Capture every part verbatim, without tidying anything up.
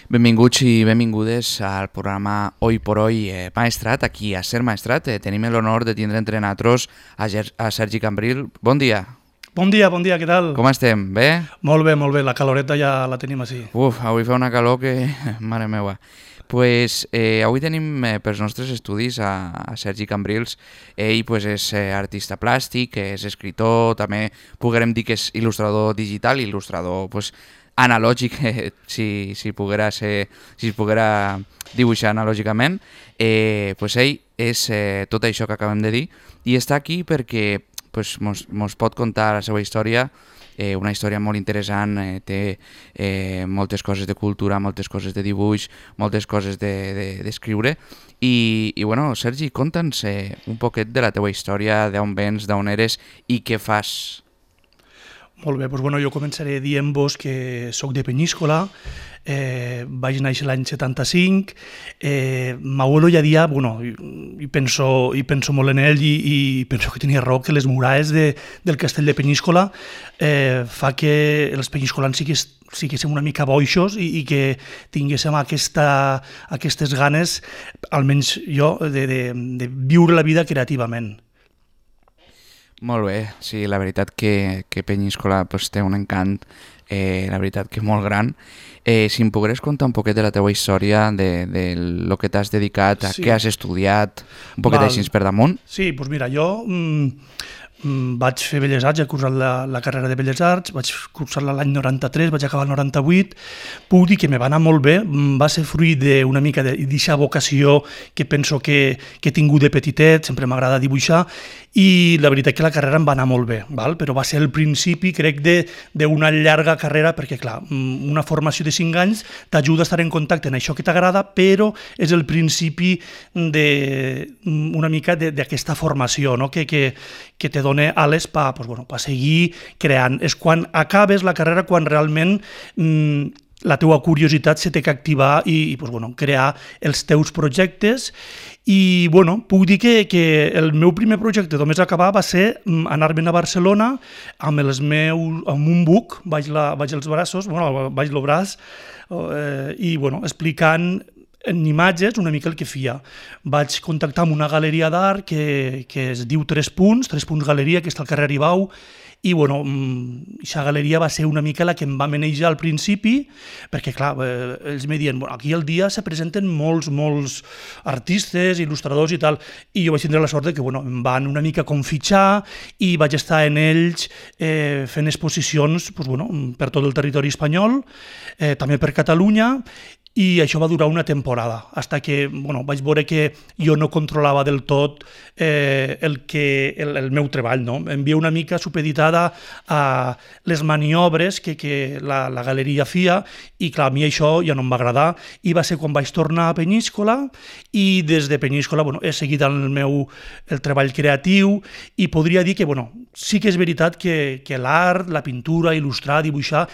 Benvinguts i benvingudes al programa Hoy por Hoy eh, Maestrat, aquí a Ser Maestrat. Eh, tenim l'honor de tindre entre nosaltres a, Ger a Sergi Cambril. Bon dia. Bon dia, bon dia, què tal? Com estem? Bé? Molt bé, molt bé, la caloreta ja la tenim així. Uf, avui fa una calor que... mare meva. Pues, eh, avui tenim eh, pels nostres estudis a, a Sergi Cambrils. Ell pues, és eh, artista plàstic, és escritor, també podrem dir que és il·lustrador digital, il·lustrador pues, analògic, eh, si, si, poguera ser, si es poguera dibuixar analògicament. Eh, pues, ell és eh, tot això que acabem de dir i està aquí perquè pues, mos, mos pot contar la seva història. Eh, una història molt interessant, eh, té eh, moltes coses de cultura, moltes coses de dibuix, moltes coses d'escriure. De, de, I, I bueno, Sergi, conta'ns eh, un poquet de la teua història, d'on vens, d'on eres i què fas. Molt bé, doncs bueno, jo començaré dient-vos que soc de Peníscola, eh, vaig néixer l'any setanta-cinc, eh, m'abuelo ja dia, bueno, i, i, penso, i penso molt en ell i, i penso que tenia raó, que les muralles de, del castell de Peníscola eh, fa que els penyiscolans sigués, siguéssim una mica boixos i, i que tinguéssim aquesta, aquestes ganes, almenys jo, de, de, de viure la vida creativament. Molt bé, sí, la veritat que, que Penyíscola pues, té un encant, eh, la veritat que molt gran. Eh, si em pogués contar un poquet de la teva història, de, de lo que t'has dedicat, a sí. Què has estudiat, un poquet així per damunt. Sí, doncs mira, jo mm, vaig fer Belles Arts, he cursat la, la carrera de Belles Arts, vaig cursar-la l'any noranta-tres, vaig acabar el noranta-vuit, puc dir que me va anar molt bé, va ser fruit d'una mica d'aquesta vocació que penso que, que he tingut de petitet, sempre m'agrada dibuixar, i la veritat que la carrera em va anar molt bé, val? Però va ser el principi, crec, d'una llarga carrera, perquè clar, una formació de cinc anys t'ajuda a estar en contacte amb això que t'agrada, però és el principi d'una mica d'aquesta formació, no? que, que, que te dona ales per pues, bueno, pa seguir creant. És quan acabes la carrera, quan realment mmm, la teua curiositat se té que activar i, i pues, bueno, crear els teus projectes. I bueno, puc dir que, que el meu primer projecte només acabar va ser anar-me'n a Barcelona amb els meus, amb un buc, vaig, la, vaig els braços, bueno, vaig el braç, eh, i bueno, explicant en imatges una mica el que feia. Vaig contactar amb una galeria d'art que, que es diu Tres Punts, Tres Punts Galeria, que està al carrer Aribau, i bueno, aquesta galeria va ser una mica la que em va manejar al principi, perquè clar, eh, ells me diuen, bueno, aquí al dia se presenten molts, molts artistes, il·lustradors i tal, i jo vaig tindre la sort de que bueno, em van una mica confitxar i vaig estar en ells eh, fent exposicions pues, bueno, per tot el territori espanyol, eh, també per Catalunya, i això va durar una temporada, fins que bueno, vaig veure que jo no controlava del tot eh, el, que, el, el meu treball. No? Em veia una mica supeditada a les maniobres que, que la, la galeria feia i clar, a mi això ja no em va agradar i va ser quan vaig tornar a Peníscola i des de Peníscola bueno, he seguit el meu el treball creatiu i podria dir que bueno, sí que és veritat que, que l'art, la pintura, il·lustrar, dibuixar,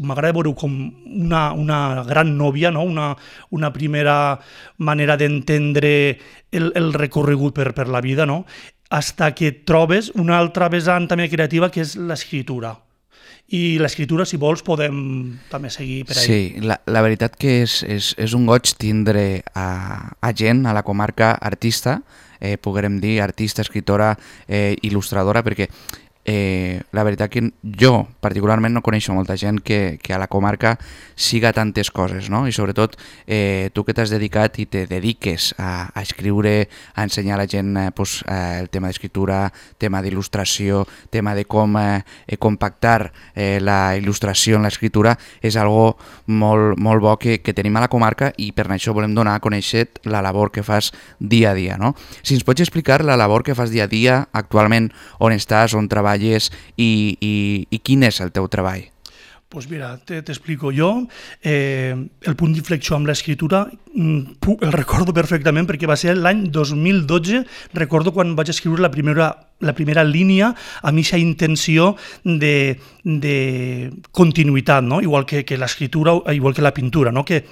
m'agrada veure com una, una gran nòvia, no? Una, una primera manera d'entendre el, el recorregut per, per la vida, no? Hasta que trobes una altra vessant també creativa que és l'escriptura. I l'escriptura, si vols, podem també seguir per ahí. Sí, la, la veritat que és, és, és un goig tindre a, a gent a la comarca artista, eh, poguérem dir artista, escriptora, eh, il·lustradora, perquè Eh, la veritat que jo particularment no coneixo molta gent que, que a la comarca siga tantes coses, no? I sobretot eh, tu que t'has dedicat i te dediques a, a escriure, a ensenyar a la gent eh, pues, eh, el tema d'escriptura, tema d'il·lustració, tema de com eh, compactar eh, la il·lustració en l'escriptura, és algo molt, molt bo que, que tenim a la comarca i per això volem donar a conèixer la labor que fas dia a dia, no? Si ens pots explicar la labor que fas dia a dia actualment, on estàs, on treballes, I, i, i quin és el teu treball? Pues mira, t'explico jo. Eh, el punt d'inflexió amb l'escriptura el recordo perfectament perquè va ser l'any dos mil dotze, recordo quan vaig escriure la primera, la primera línia amb aquesta intenció de, de continuïtat, no? Igual que, que l'escriptura, igual que la pintura, no? Que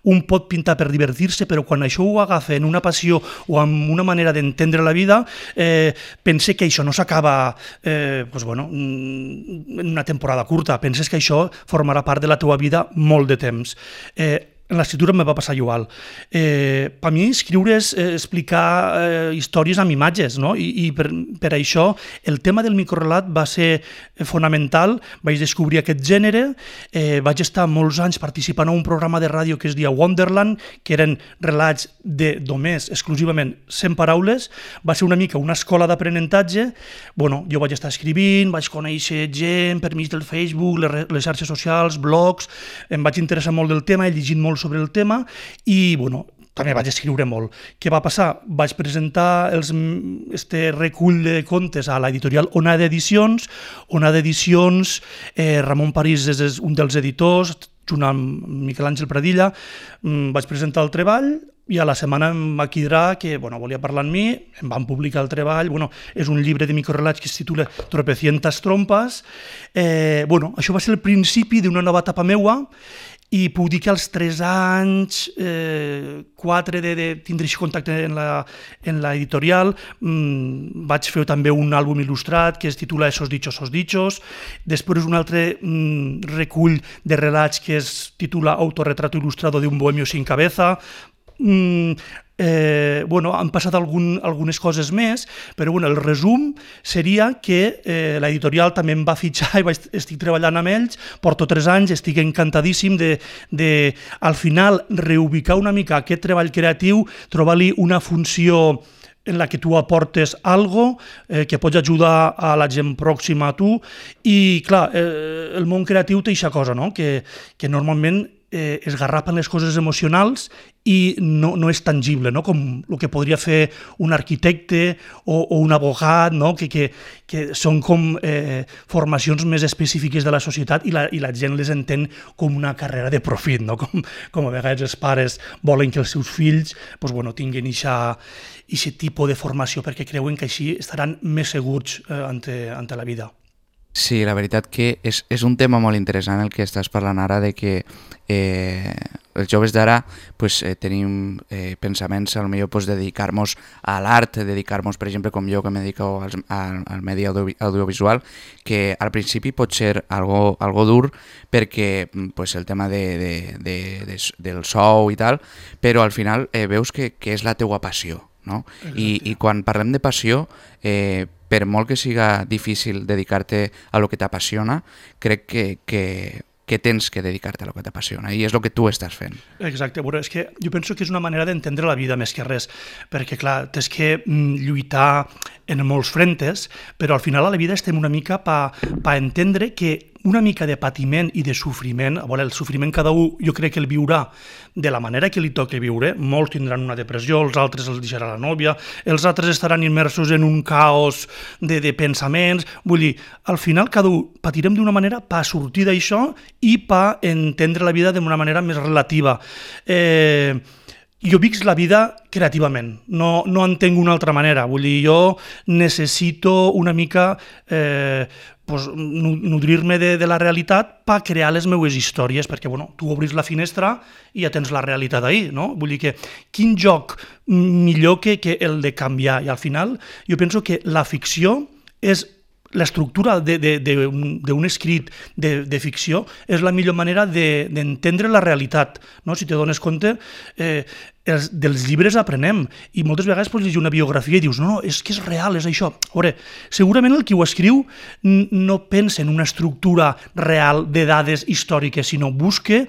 un pot pintar per divertir-se, però quan això ho agafa en una passió o amb una manera d'entendre la vida, eh, pense que això no s'acaba eh, pues bueno, en una temporada curta, penses que això formarà part de la teva vida molt de temps. Eh, en l'escriptura me va passar igual. Eh, per mi escriure és eh, explicar eh, històries amb imatges, no? I, i per, per això el tema del microrelat va ser fonamental. Vaig descobrir aquest gènere, eh, vaig estar molts anys participant a un programa de ràdio que es deia Wonderland, que eren relats de només, exclusivament, cent paraules. Va ser una mica una escola d'aprenentatge. Bueno, jo vaig estar escrivint, vaig conèixer gent per mig del Facebook, les, les xarxes socials, blogs, em vaig interessar molt del tema, he llegit molt sobre el tema i, bueno, també vaig escriure molt. Què va passar? Vaig presentar els, este recull de contes a l'editorial Onada Edicions. Onada Edicions, eh, Ramon París és un dels editors, junt amb Miquel Àngel Pradilla. Mm, vaig presentar el treball i a la setmana em va cridar que bueno, volia parlar amb mi, em van publicar el treball. Bueno, és un llibre de microrelats que es titula Tropecientas trompes. Eh, bueno, això va ser el principi d'una nova etapa meua. I puc dir que als tres anys, eh, quatre de, de tindre contacte en la, en la editorial, mmm, vaig fer també un àlbum il·lustrat que es titula Esos dichos, esos dichos. Després un altre mmm, recull de relats que es titula Autorretrato ilustrado de un bohemio sin cabeza. Mm, eh, bueno, han passat algun, algunes coses més, però bueno, el resum seria que eh, l'editorial també em va fitxar i vaig, estic treballant amb ells, porto tres anys, estic encantadíssim de, de al final reubicar una mica aquest treball creatiu, trobar-li una funció en la que tu aportes algo eh, que pots ajudar a la gent pròxima a tu i clar, eh, el món creatiu té aquesta cosa, no? que, que normalment eh, es garrapen les coses emocionals i no, no és tangible, no? Com el que podria fer un arquitecte o, o un abogat, no? que, que, que són com eh, formacions més específiques de la societat i la, i la gent les entén com una carrera de profit, no? com, com a vegades els pares volen que els seus fills pues, bueno, tinguin aquest tipus de formació perquè creuen que així estaran més segurs eh, ante, ante la vida. Sí, la veritat que és, és un tema molt interessant el que estàs parlant ara, de que eh, els joves d'ara pues, eh, tenim eh, pensaments a lo millor pues, dedicar-nos a l'art, dedicar-nos, per exemple, com jo que me dedico al, al, al medi audio, audiovisual, que al principi pot ser algo, algo dur perquè pues, el tema de, de, de, de, del sou i tal, però al final eh, veus que, que és la teua passió, no? I, i quan parlem de passió, eh, per molt que siga difícil dedicar-te a lo que t'apassiona, crec que, que, que tens que dedicar-te a lo que t'apassiona i és el que tu estàs fent. Exacte, bueno, és que jo penso que és una manera d'entendre la vida més que res, perquè clar, tens que mm, lluitar en molts frentes, però al final a la vida estem una mica per pa entendre que una mica de patiment i de sofriment, a veure, el sofriment cada un jo crec que el viurà de la manera que li toqui viure, molts tindran una depressió, els altres els deixarà la nòvia, els altres estaran immersos en un caos de, de pensaments, vull dir, al final cada un patirem d'una manera per sortir d'això i per entendre la vida d'una manera més relativa. Eh, jo visc la vida creativament, no, no entenc una altra manera, vull dir, jo necessito una mica eh, pues, nodrir-me de, de la realitat per crear les meues històries, perquè bueno, tu obris la finestra i ja tens la realitat ahí, no? Vull dir que quin joc millor que, que el de canviar, i al final jo penso que la ficció és l'estructura d'un escrit de, de ficció és la millor manera d'entendre de, la realitat, no? Si te dones compte, eh, els, dels llibres aprenem, i moltes vegades pots llegir una biografia i dius, no, no, és que és real, és això. A veure, segurament el qui ho escriu no pensa en una estructura real de dades històriques, sinó busca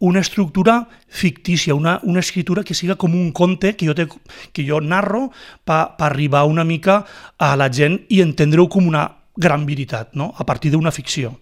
una estructura fictícia, una, una escritura que siga com un conte que jo, te, que jo narro per pa arribar una mica a la gent i entendre-ho com una gran veritat, no? A partir d'una ficció.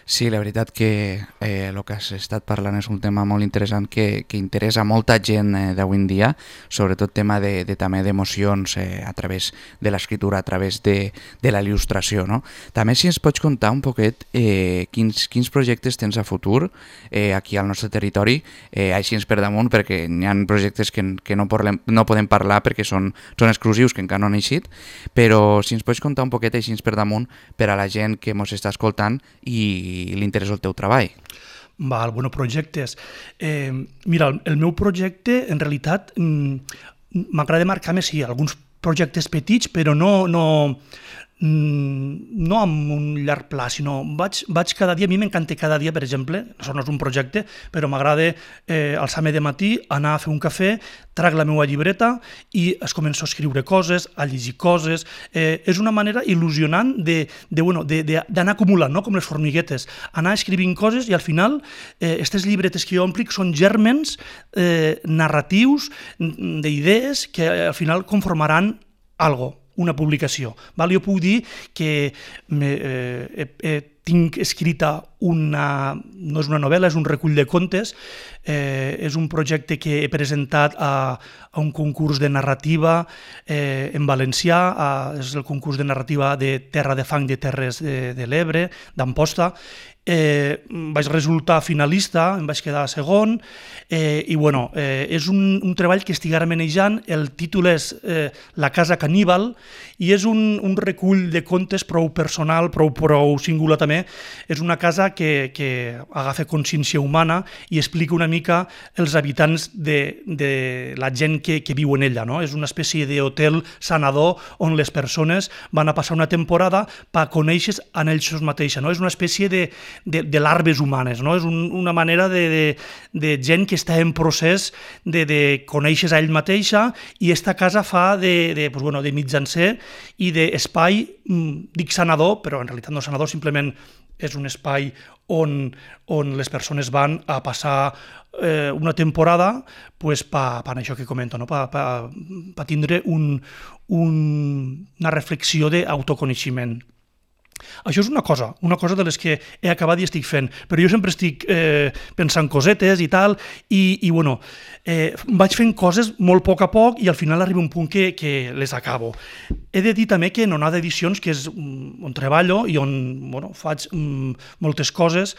Sí, la veritat que eh, el que has estat parlant és un tema molt interessant que, que interessa a molta gent eh, d'avui en dia, sobretot tema de, de, també d'emocions eh, a través de l'escriptura, a través de, de la il·lustració, no? També si ens pots contar un poquet eh, quins, quins projectes tens a futur eh, aquí al nostre territori, eh, així ens per damunt, perquè hi ha projectes que, que no, parlem, no podem parlar perquè són, són exclusius, que encara no han eixit, però si ens pots contar un poquet així per damunt per a la gent que ens està escoltant i i li interessa el teu treball. Val, bueno, projectes. Eh, mira, el, el meu projecte, en realitat, m'agrada marcar-me, sí, alguns projectes petits, però no, no, no amb un llarg pla, sinó vaig, vaig cada dia, a mi m'encanta cada dia, per exemple, això no és un projecte, però m'agrada eh, alçar-me de matí, anar a fer un cafè, trac la meva llibreta i es començo a escriure coses, a llegir coses. Eh, és una manera il·lusionant de, de, bueno, de, de, d'anar acumulant, no? Com les formiguetes, anar escrivint coses i al final eh, aquestes llibretes que jo omplic són gèrmens eh, narratius, d'idees que al final conformaran algo, una publicació. Val? Jo puc dir que me, eh, eh, tinc escrita una, no és una novel·la, és un recull de contes, eh, és un projecte que he presentat a, a un concurs de narrativa eh, en valencià, a, és el concurs de narrativa de Terra de Fang de Terres de, de l'Ebre, d'Amposta. Eh, vaig resultar finalista, em vaig quedar segon, eh, i bueno, eh, és un, un treball que estic ara manejant. El títol és eh, La casa caníbal i és un, un recull de contes prou personal, prou, prou singular també. És una casa que, que agafa consciència humana i explica una mica els habitants de, de la gent que, que viu en ella, no? És una espècie d'hotel sanador on les persones van a passar una temporada per conèixer en ells mateixos, no? És una espècie de De, de larves humanes, no? És un, una manera de, de, de gent que està en procés de, de conèixer a ell mateixa, i esta casa fa de, de, pues bueno, de mitjancer i d'espai, dic sanador, però en realitat no sanador, simplement és un espai on, on les persones van a passar eh, una temporada pues, per pa això que comento, no? per pa, pa tindre un, un, una reflexió d'autoconeixement. Això és una cosa, una cosa de les que he acabat i estic fent, però jo sempre estic eh, pensant cosetes i tal, i, i bueno, eh, vaig fent coses molt a poc a poc i al final arriba un punt que, que les acabo. He de dir també que en Onada Edicions, que és on treballo i on bueno, faig mm, moltes coses,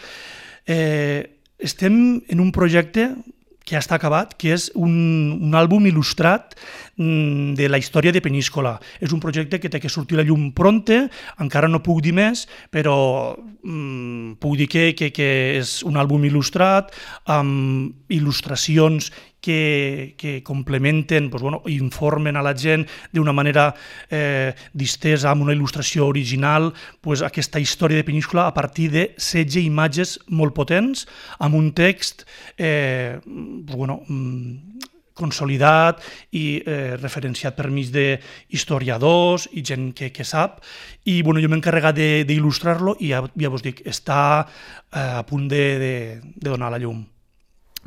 eh, estem en un projecte que ja està acabat, que és un, un àlbum il·lustrat de la història de Peníscola. És un projecte que té que sortir a la llum pronte, encara no puc dir més, però mm, puc dir que, que, que és un àlbum il·lustrat amb il·lustracions que, que complementen, doncs, bueno, informen a la gent d'una manera eh, distesa, amb una il·lustració original, doncs, aquesta història de Peníscola a partir de setze imatges molt potents, amb un text eh, doncs, bueno, consolidat i eh, referenciat per mig d'historiadors i gent que, que sap, i bueno, jo m'he encarregat d'il·lustrar-lo i ja, ja vos dic, està eh, a punt de, de, de donar la llum.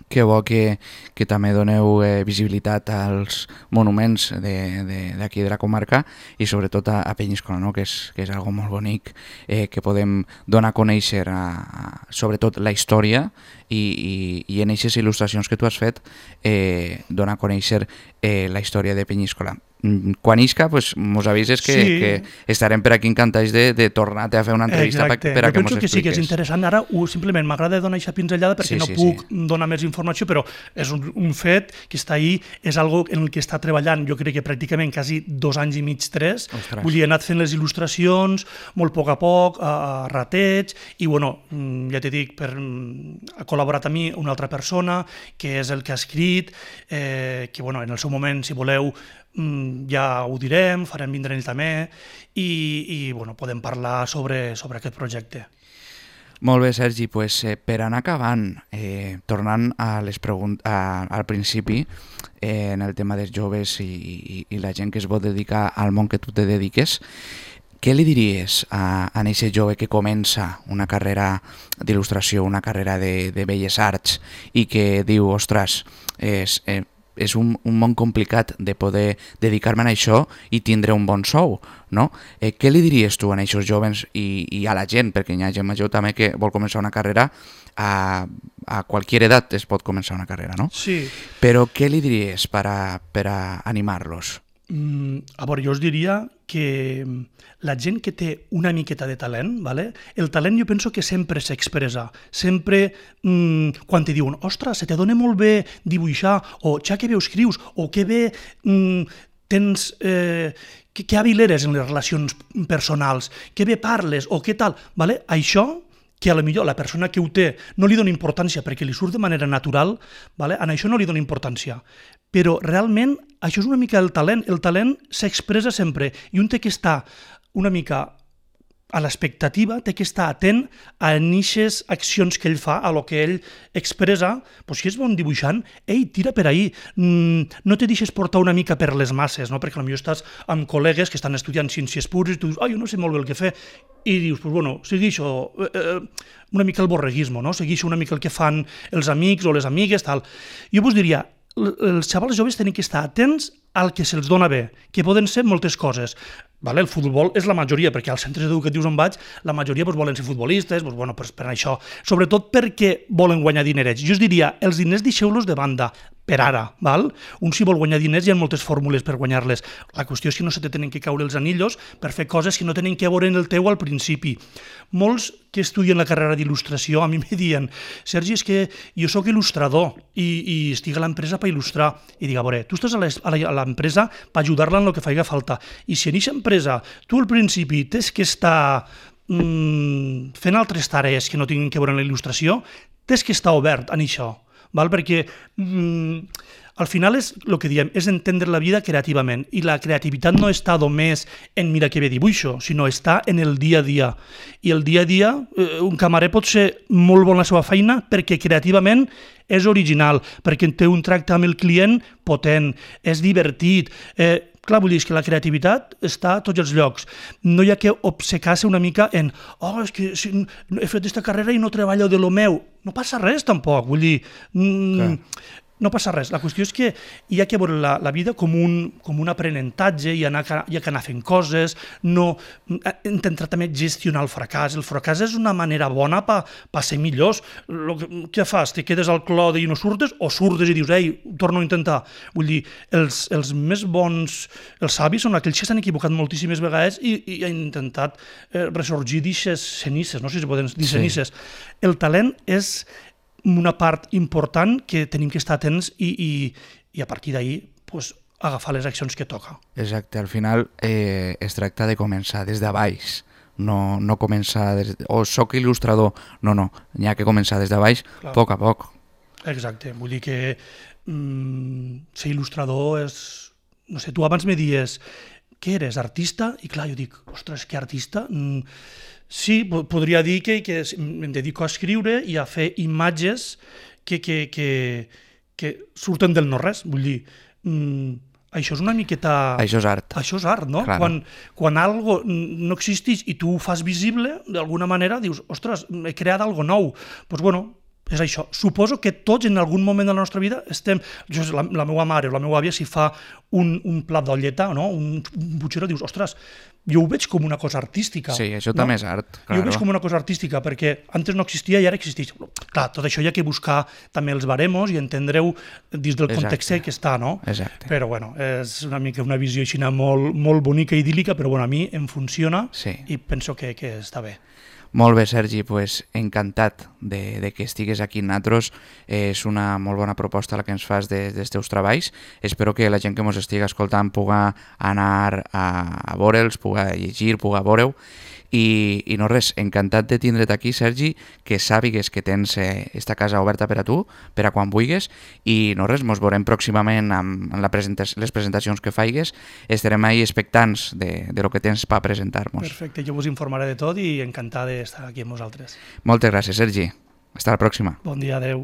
Que bo que, que també doneu eh, visibilitat als monuments d'aquí de, de, de la comarca i sobretot a, a Peníscola, no? que, és, que és algo molt bonic, eh, que podem donar a conèixer a, a, sobretot la història i, i, i en aquestes il·lustracions que tu has fet eh, donar a conèixer eh, la història de Peníscola. Quan isca, pues, mos avises que, sí. que estarem per aquí encantats de, de tornar-te a fer una entrevista per, per a que mos expliques. Jo penso que sí, que és interessant. Ara uh, simplement m'agrada donar aquesta pinzellada perquè sí, no sí, puc sí. donar més informació, però és un, un fet que està ahí, és algo en el que està treballant, jo crec que pràcticament quasi dos anys i mig, tres. Ostres. Vull dir, he anat fent les il·lustracions molt a poc a poc, a, a rateig, i bueno, ja t'he dit, per, ha col·laborat a mi una altra persona, que és el que ha escrit, eh, que bueno, en el seu moment, si voleu, ja ho direm, farem vindre ell també i, i bueno, podem parlar sobre, sobre aquest projecte. Molt bé, Sergi, pues, eh, per anar acabant, eh, tornant a les preguntes, a, al principi, eh, en el tema dels joves i, i, i la gent que es vol dedicar al món que tu te dediques, què li diries a, a aquest jove que comença una carrera d'il·lustració, una carrera de, de belles arts i que diu, ostres, és... Eh, és un, un món complicat de poder dedicar-me a això i tindre un bon sou, no? Eh, què li diries tu a aquests joves i, i a la gent, perquè hi ha gent major també que vol començar una carrera, a, a qualsevol edat es pot començar una carrera, no? Sí. Però què li diries per a, per a animar-los? Mm, a veure, jo us diria que la gent que té una miqueta de talent, ¿vale? El talent jo penso que sempre s'expressa, sempre mmm, quan te diuen, ostres, se te dona molt bé dibuixar, o ja que bé escrius, o que bé mmm, tens, eh, que, que hàbil eres en les relacions personals, que bé parles, o què tal, ¿vale? Això que a lo millor la persona que ho té no li dona importància perquè li surt de manera natural, ¿vale? En això no li dona importància. Però realment això és una mica el talent. El talent s'expressa sempre i un té que estar una mica a l'expectativa, té que estar atent a aquestes accions que ell fa, a lo que ell expressa. Pues si és bon dibuixant, ei, tira per ahí. Mm, no te deixes portar una mica per les masses, no? Perquè potser estàs amb col·legues que estan estudiant ciències pures i tu dius, ah, jo no sé molt bé el que fer. I dius, pues bueno, segueixo eh, eh, una mica el borreguisme, no? Segueixo una mica el que fan els amics o les amigues, tal. Jo vos diria, els xavals joves tenen que estar atents al que se'ls dona bé, que poden ser moltes coses. Vale? El futbol és la majoria, perquè als centres educatius on vaig, la majoria pues, volen ser futbolistes, pues, bueno, pues, per això, sobretot perquè volen guanyar dinerets. Jo us diria, els diners deixeu-los de banda, per ara, val? Un si vol guanyar diners hi ha moltes fórmules per guanyar-les. La qüestió és que no se te tenen que caure els anillos per fer coses que no tenen que veure en el teu al principi. Molts que estudien la carrera d'il·lustració a mi me diuen, Sergi, és que jo sóc il·lustrador i, i estic a l'empresa per il·lustrar. I dic, a veure, tu estàs a l'empresa per ajudar-la en el que faci falta. I si en aquesta empresa tu al principi tens que estar mmm, fent altres tarees que no tinguin que veure amb la il·lustració, tens que estar obert en això. Val? Perquè mm, al final és el que diem, és entendre la vida creativament, i la creativitat no està només en mira que bé dibuixo, sinó està en el dia a dia. I el dia a dia, eh, un camarer pot ser molt bon a la seva feina perquè creativament és original, perquè té un tracte amb el client potent, és divertit. Eh, clar, vull dir que la creativitat està a tots els llocs. No hi ha que obcecar-se una mica en oh, és que si he fet aquesta carrera i no treballo de lo meu. No passa res, tampoc. Vull dir, mm, no passa res. La qüestió és que hi ha que veure la, la vida com un, com un aprenentatge, i anar, hi ha que anar fent coses, no intentar també gestionar el fracàs. El fracàs és una manera bona per pa ser millors. Lo que, què fas? Te quedes al clode i no surtes? O surtes i dius, ei, torno a intentar? Vull dir, els, els més bons, els savis són aquells que s'han equivocat moltíssimes vegades i, i han intentat eh, ressorgir d'ixes cenices, no sé si es poden dir cenices. Sí. El talent és una part important que tenim que estar atents i, i, i a partir d'ahir pues, agafar les accions que toca. Exacte, al final eh, es tracta de començar des de baix, no, no començar des de, o oh, soc il·lustrador, no, no, n'hi ha que començar des de baix, a poc a poc. Exacte, vull dir que mm, ser il·lustrador és, no sé, tu abans me dies, què eres, artista? I clar, jo dic, ostres, que artista? Mm, sí, podria dir que, que em dedico a escriure i a fer imatges que, que, que, que surten del no-res. Vull dir, mmm, això és una miqueta... Això és art. Això és art, no? Claro. Quan, quan algo no existeix i tu ho fas visible, d'alguna manera dius, ostres, he creat algo nou. Doncs pues, bueno, és això. Suposo que tots en algun moment de la nostra vida estem... Jo, la, la meva mare o la meva àvia, si fa un, un plat d'olleta, no? un, un butxero, dius, ostres, jo ho veig com una cosa artística. Sí, això no? també és art. Claro. Jo ho veig com una cosa artística, perquè antes no existia i ara existeix. Clar, tot això hi ha que buscar també els baremos i entendre-ho dins del context que està, no? Exacte. Però bueno, és una mica una visió així molt, molt bonica i idíl·lica, però bueno, a mi em funciona sí. I penso que, que està bé. Molt bé, Sergi, pues, encantat de, de que estigues aquí amb nosaltres. És una molt bona proposta la que ens fas de, dels teus treballs. Espero que la gent que ens estigui escoltant pugui anar a, a veure'ls, pugui llegir, pugui veure-ho. I, I no res, encantat de tindre't aquí, Sergi, que sàpigues que tens eh, esta casa oberta per a tu, per a quan vulguis, i no res, mos veurem pròximament amb, amb la presenta les presentacions que faigues. Estarem ahí expectants de, de lo que tens per presentar-nos. Perfecte, jo vos informaré de tot i encantat d'estar aquí amb vosaltres. Moltes gràcies, Sergi. Hasta la pròxima. Bon dia, adeu.